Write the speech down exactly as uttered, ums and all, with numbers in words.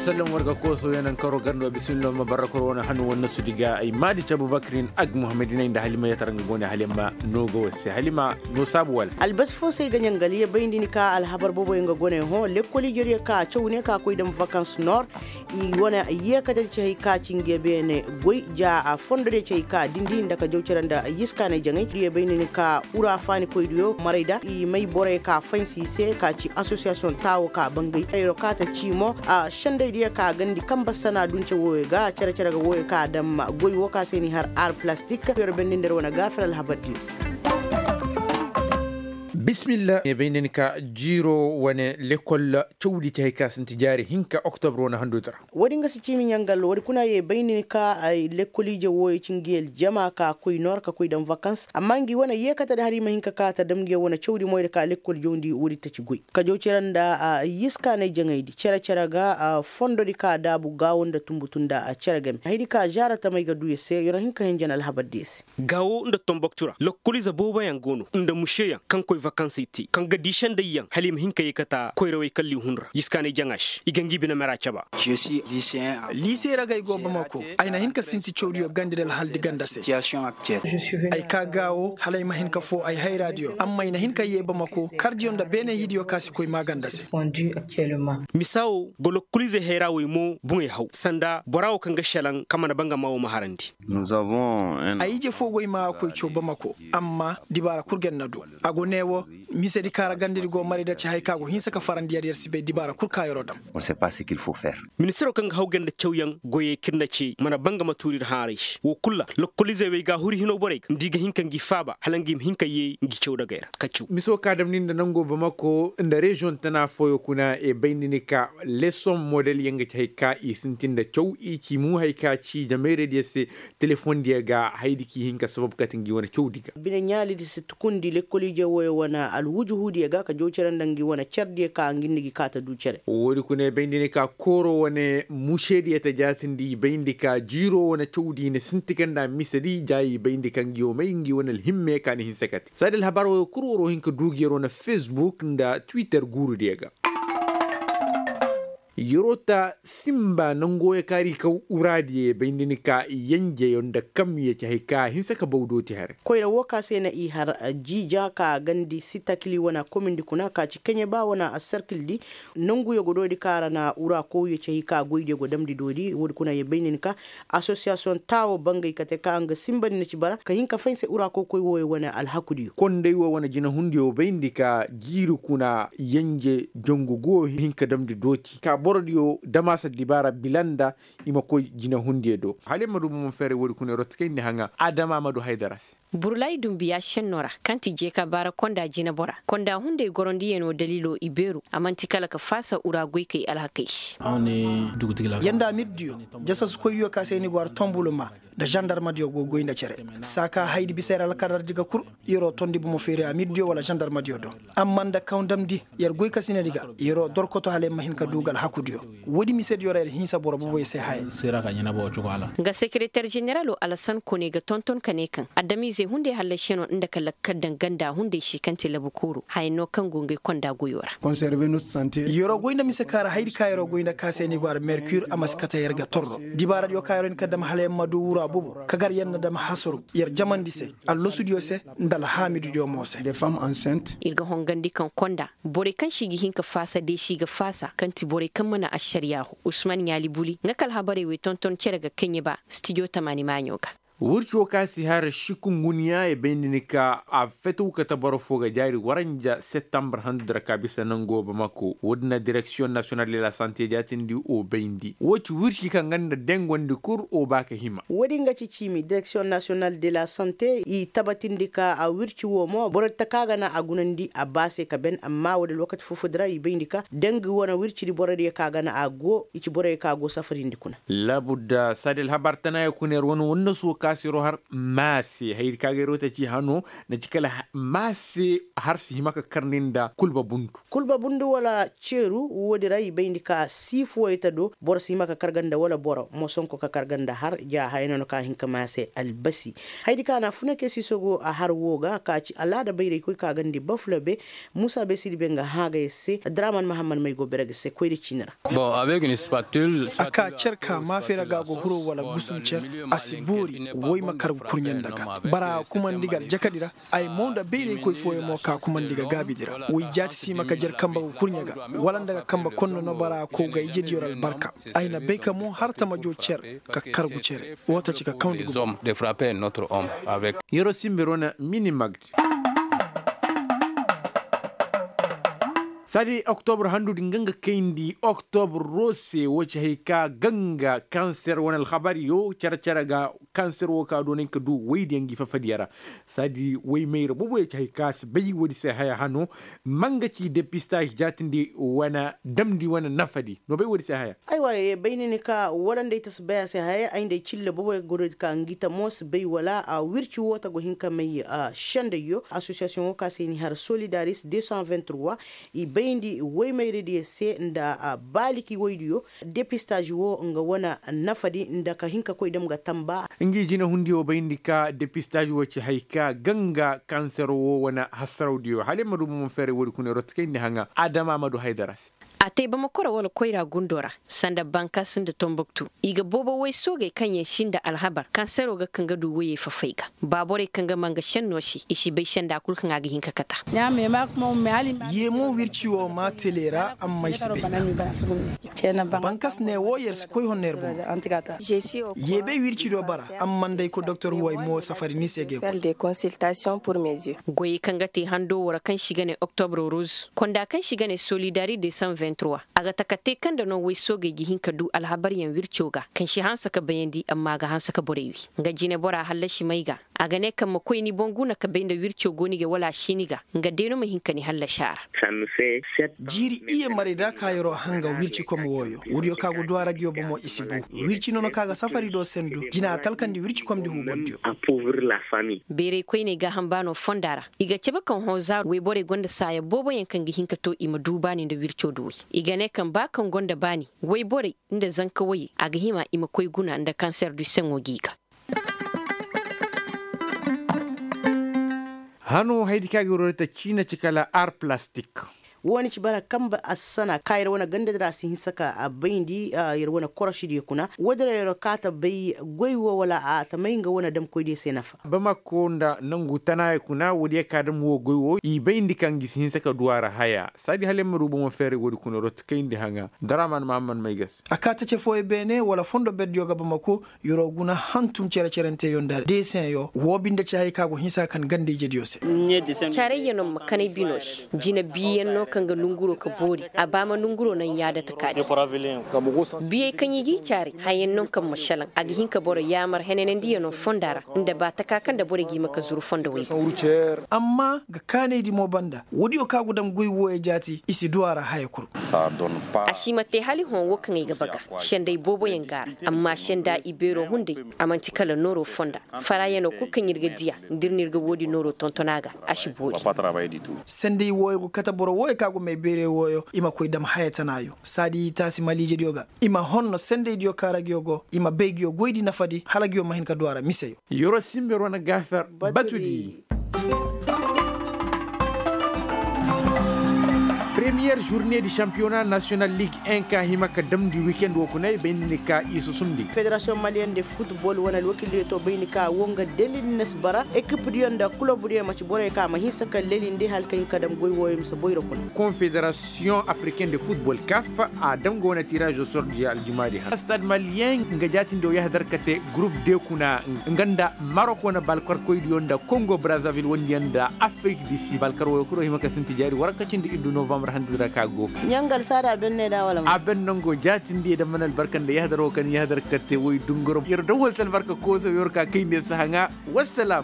Sallam war ga kooso yanankaro garndo bisimillo ma barrakor wane hannu wane nasu diga ay maadi cabu bakrin ag muhammadinay nda halima yatar nga gone halima no ga wase halima no saabu wala. Albasi fo se ay ga ɲangal ye bayndi ni ka alhabar boobo yaŋ ga gone hõ lekkol ijeriya ka caw ne ka koy dam vakans nor. I wane yeekate da ci hay ka ci nga beene goy ja a fondo da ci hay ka dindi nda ka jaw cere nda yiskaanay jaŋay diyo bayndi ni ka ura faani koy diyo maray da i may borey ka faynsi i se ka ci asosiyasiyoŋ taawo ka bangay hayro ka ta ci mo. Sendey diyo ka gandi kamba sana dunce wooyo ga cere-cere ga wooyo ka dam goy woo ka se ni har ar plastik yer bendi nda yer wane gaafir alhabar diyo. Bismillah ye bay nda ni ka jiiro wane lekkol cawdi te hay ka sinti jaari hinka oktobro wane handudura. Woodi nga si ciimi ɲangal woodi kuna ye bay nda ni ka lekkol ije wooyo ci ngi aljama ka koy noor ka koy daŋ vakans amma ngi wane yeekate nda hari ma hin ka kaa ta dam ngi wane cawdi moy nda ka lekkol jawndi woodi taci goy ka jaw cere nda yiskaanay jaŋaydi cere-cere ga fondodi ka daabu gaawo nda tumbutu nda cere game haydi ka zaara tamey ga duu yer se yer na hin ka hinja na alhabar diyo se. Gaawo nda tomboktu ra lokkolize booboyaŋ go no nda mušeyaŋ kaŋ koy vakansey te kaŋ ga dii sendayyaŋ hala i ma hin ka yeekata koyrawey kalli hun ra yiskaanay jaŋa se i ga ngi bine mera caba. Liise ra ga ay go bamako. Ay na hin ka sinti cawdiyo gandi nda alhaldi ganda se. Ay kaa gaawo hala ay ma hin ka foo ay hayraadiyo amma ay na hin ka yee bamako kardiyo nda beene hiidiyo ka si koy maaganda se. Misa wo go lokkolize hayra wey mo boŋey haw sanda bora wo kaŋ ga šelaŋ kaŋ mana bangama wo ma harandi. Ay ije foo go ay ma a koy caw bamako. Amma dibaara kul ga ay na du a go ne wo. Misedi kaŋ ra gandedi go maray da ci hay kaŋ a go hinsa ka farandi yer yer si bay dibaara kul kaŋ yeroo dam. Ministiroo kaŋ ga haw ganda cawyaŋ goyey kaŋ ir na cee mana bangama tuuri ir hãaray se woo kul ra lokkolize wey ga a huri hinoo borey ga nda i ga hin ka ngi faaba hala ngi ma hin ka yee ngi caw dagey ra ka caw. Miso ka damni nda nangoo bamako nda reziyoŋ tana fooyoo kuna e bayndi ni ka lesoŋ model yaŋ ga ci hay ka i sintin nda caw i ci mu hay ka ci jameerey diyo se. Telefoŋ diyo ga haydi k'i hin ka sabab kate ngi wane cawdi ga. Bine ɲaalidi si tukundi lekkol ije wooyo wane alwujuhu diyo ga ka jaw cere nda ngi wane cere diyo ka ngi nda gi kaa ta duu cere. Woodi kuna i bayndi ni ka kooro wane mušee diyo ta jaatindi i bayndi ka jiiroo wane cawdi i na sinti ka nda misedi jaayi i bayndi ka ngi wo may ngi wane alhimme ka na hinsa kate saadi alhabar wooyo kul waroo hin ka duu gi yeroo na fesbuk nda twitter guuru diyo ga. Yeroo ta sinba nangoo ya kaari ka uraadiyo ya bayndi ni ka yenjeyo nda kamyo ci hay ka hinsa ka baw dooti haray. Koyra woo ka se na i har jiija ka gandi sitakili wane komindi kuna ka ci keɲeba wane asarkildi. Nanguyo go doodi ka ra na ura kowyo ci hay ka goydiyo go damndi doodi woodi kuna ya bayndi ni ka asosiyasiyoŋ taawo bangay kate ka nga sinbandi na ci bara ka hin ka fay se ura kokoy wooyo wane alhakudiyo. Konday woo wane jinahundiyo bayndi ka jiiri kuna yenje jangu go hin ka damndi dooti ka borodiyo damaasa dibaara bila nda i ma koy jinahundiyo do hala i ma du bomo feeray woodi kuna i rottakayndi haŋa adama ma du haydara se. Burlay dumbiya šennoo ra kaŋ ti jeeka baara konda jinebora konda hunday gorondiyanoo daliiloo i beeru a man'ti kala ka faasa ura goykey alhakey se. Yer nda amirdiyo jasasukoydiyo ka se ni go har tombuluma nda zandarmadiyo go goy nda cere. Saaka haydi bisa yer alkadardi ga kul yeroo tondi bomo feeri amirdiyo wala zandarmadiyo do. Amma nda kaw damndi yer goykasinadi ga yeroo dorkoto hala yer ma hin ka duu ga alhakudiyo. Woodi misediyo ra yer hinsa boro boboy se haya. Nga sekereter jeneralo alasan kone ga tonton ka ne kaŋ adamiizey hunday hallasiyanoo nda ka lakkal daŋ ganda hunday se kaŋ ti labu kooro hayaŋ no kaŋ go ngey konda goyoo ra. Yeroo goy nda mise kaŋ ra haydi kaŋ yeroo goy nda ka se ni go ara merkir a ma si kate yer ga torro dibaaradiyo kaŋ yeroo hin ka dam hala yer ma duu wura bobo ka gar yer na dam hasaru yer jamandi se allasudiyo se nda alhaamidudiyo mo se. Ir ga hongandi kaŋ konda borey kaŋ se i ga hin ka faasa deesi ga faasa kaŋ ti borey kaŋ mana ašariyaa hoo usman ɲaali buli nga ka alhabarey wey tonton cere ga keɲeba stijo tamaani maaɲo ga. Wirci woo kaŋ a si har šikunguniya i bayndi ni ka a fetew kate boro foo ga jaari waranja septambur handudura ka bisa nangoo bamako woodin na direksiyoŋ nasiyonal de la sante jaatindi o bayndi woo ci wirci kaŋ ga nda dengondi kul o ba ka hima. Woodin ga ci ciimi direksiyoŋ nasiyonal de la sante i tabatindi ka wirci woo mo borodi ta kaŋ a ga na a gunandi a ba se ka ben amma woodi alwakati foo-foodi ra i bayndi ka dangi wane wircidi borodiyo kaŋ a ga na a go i ci boroyo kaŋ a go safarindi kuna. Laabudda saadi alhabar tanayo kuna yer wane wannasuwo ka. Asiro har maase haydi ka ga yer wo ta ci hano na ci kala maase har si hima ka karndi nda kulba bundu. Kulba bundu wala ceeru woodi ra i bayndi ka siifu woy ta do boro si hima ka karga nda wala boro mosonko ka karga nda har ja haya no no ka hin ka maase albasi. Haydi ka na funa ke siiso go a har wo ga ka ci alaada bayraykoy ka gandi bafulabe. Muusa be sidi be nga hã ga yer se draman mahammad may go bere ga se koyri ciini ra. A ka cer ka maafe ra ga go huro wala gusum cer. A si boori woy ma kar ga kurɲe nda ga bara kumandi ga aljakadi ra. Ay mo nda bayraykoy fooyaŋ mo ka kumandi ga gaabidi ra woy jaati si ma ka jer kamba ga kurɲe ga wala nda ga kamba konno no bara kow ga ijediyo ra albarka. Ay na bay ka mo har tamajo cer ka kargu cere. Woo ta ci ka kawndi gumo. Yeroo simber wane minimagd. Saadi oktobr handudi nga nga kayndi oktobr roo se woo ci hay ka ganga kanser wane alhabaryo cere-cere ga. Kanser woo ka doonay ka du woydiyaŋ ngi fafadiya ra. Saadi woy mayra booboyo ci hay ka si bay woodi se haya hano. Ma nga ci depistaj jaatindi wane damndi wane nafadi no bay woodi se haya. Aywa ye bay ni ni ka wala nda ay ta si bay a se haya ay nda ay cille booboyo ga goy ka ngi ta mo si bay wala wirci woo ta go hin ka may. Sendayyo asosiyasiyoŋ woo ka se i ni har solidaris deux cent vingt trois. I bayndi woy mayradiyo se nda baaliki woydiyo. Depistaj woo nga wane nafadi nda ka hin ka koy dam ga tamba. Ngi jinehundiyo bayndi ka depistaj woo ci hay ka ganga kanser woo wane hasarawdiyo hala ay ma du bomo feeray woodi kuna yer wo ta kayndi haŋa adama ma du haydara se. A te bamako ra wala koyra gundo ra sanda bankas nda tomboktu. I ga boobo woy soogey kaŋ yaŋ si nda alhabar kansero ga kaŋ ga du woyey fafay ga. Ba borey kaŋ ga ma nga senno se i si bay senda kul kaŋ a ga hin ka kata. Ye mo wirci wo maa tele ra amma ay si bay. Bankas ne wo yer si koy honno yer bomo. Ye bay wirci do bara amma nda ay koy doktor huway mo safari ni se ga ay koy. Goyey kaŋ ga te hando wo ra kaŋ se i ga ne oktobro rose konda kaŋ se i ga ne solidari de san vingt trois. A ga taka te kaŋ nda no woy soogey ga hin ka du alhabaryaŋ wirco ga kaŋ si hanse ka bayandi amma a ga hanse ka borey wi. Nga jine bora hallasi may ga. A ga ne kaŋ ma koy ni boŋ guna ka bay nda wirco go ni ga wala a si ni ga. Nga day no ma hin ka ni hallasi a ra. Jiiri iyye maray da ka yeroo hanga wircikom wooyo woodiyo ka go du a ra nguyo bomo i si bu. Wirci nono ka ga safari do sendu jina a talkandi wircikomdi huubandiyo. Beerey koyney gaaham baano fonda ra. I ga cabe kaŋ hõ zaaru woyborey gonda saaya booboyaŋ kaŋ ga hin ka to i ma du baani nda wirco duwey. I ga ne kaŋ ba kaŋ gonda baani woyborey nda zanka woyey a ga hima i ma koy guna nda kanser du seŋo g'i ga. Hano haydi kaŋ a ga yer wo ta ciina ci kala ar plastik. Wo- ni ci bara kambe assana ka yer wane gandadi ra a si hinsa ka a bayndi yer wane korosidiyo kuna woodin ra yer wo ka ta bay goy wo wala a ta may nga wane damkoydiyo se nafa. Bamako nda nangu tanaayey kuna woodiyo ka dam wo goy wo i bayndi kaŋ gi si hinsa ka du a ra haya saadi hala yer ma du bomo feeray woodi kuna yer wo ta kayndi haŋa. Daraman mahamman may ga se. A ka tace fooyo beene wala fondo berdiyo ga bamako. Yeroo guna hantum cere-cerenteyo nda deeseŋyo woo binde ci haya ka go hinsa ka kan ganda-ijediyo se. Caarayyaŋ no ma kanay bino se. Jina biiyaŋ no kaŋ ga nonguroo ka boori. A ba ma nonguroo naŋ yaada taka din. Biyey kaŋ i g'i caaray hayaŋ no kaŋ ma šelaŋ a ga hin ka boro yaamar henanandiyaŋ no fonda ra nda ba taka kaŋ nda borey ga hima ka zuru fondo woy ga. Amma ga kaanaydi mo banda woodiyo kaŋ a go dam goy wooyo jaati i si du a ra haya kul. A si ma te hala i hõ wo kaŋ ay ga ba ga. Senday booboyaŋ go a ra. Amma senda ibeeroo hunday a man'ti kala nooroo fonda. Farayanoo kul kaŋ ir ga dii a nda ir na ir ga woodi nooroo tonton a ga. A si boori. Senday wooyo go kate boro wooyo kaŋ a go may beerey wooyo i ma koy dam haya tanaayo saadi i taasi maliijediyo ga. I ma honno sendaydiyo kaŋ ra nguyo go i ma bay nguyo goydi nafadi hala nguyo ma hin ka du a ra miseyo. Yeroo simber wane gaafer batudi. Premiyer žurne di šampiyona nasiyonal lig en ka hima ka damndi wikend wo kuna i bay nda ni ka i susumndi. Federasiyoŋ maliyeŋ de futbol wane alwakildiyo to bay nda ka wo nga delil na si bara ekipdiyo nda kulobdiyo maci borey ka ma hinsa ka lelindi hala ka hin ka dam goy wooyo mise boyro kuna. Konfederasiyoŋ afriken de futbol kaf a dam ga wane tiraazo sordiyo aljumaadi hara stad maliyeŋ nga jaatindiyo yahadar ka te gurup de kuna. Nga nda marok wane balkarkoydiyo nda kongo brazavil wondiyaŋ nda afrik di sid balkar wooyo kul wo hima ka sinti jaari waranka cindi iddu novambar handadi ra ka go. Ɲangal saada a benne da wala ma a benne ngo jaatindi ye da mana albarka nda yahadar wo kaŋ yahadar ka te woy dunguro yer daŋ wala se albarka kooso yer ka kayndi se haŋa. Wassalam.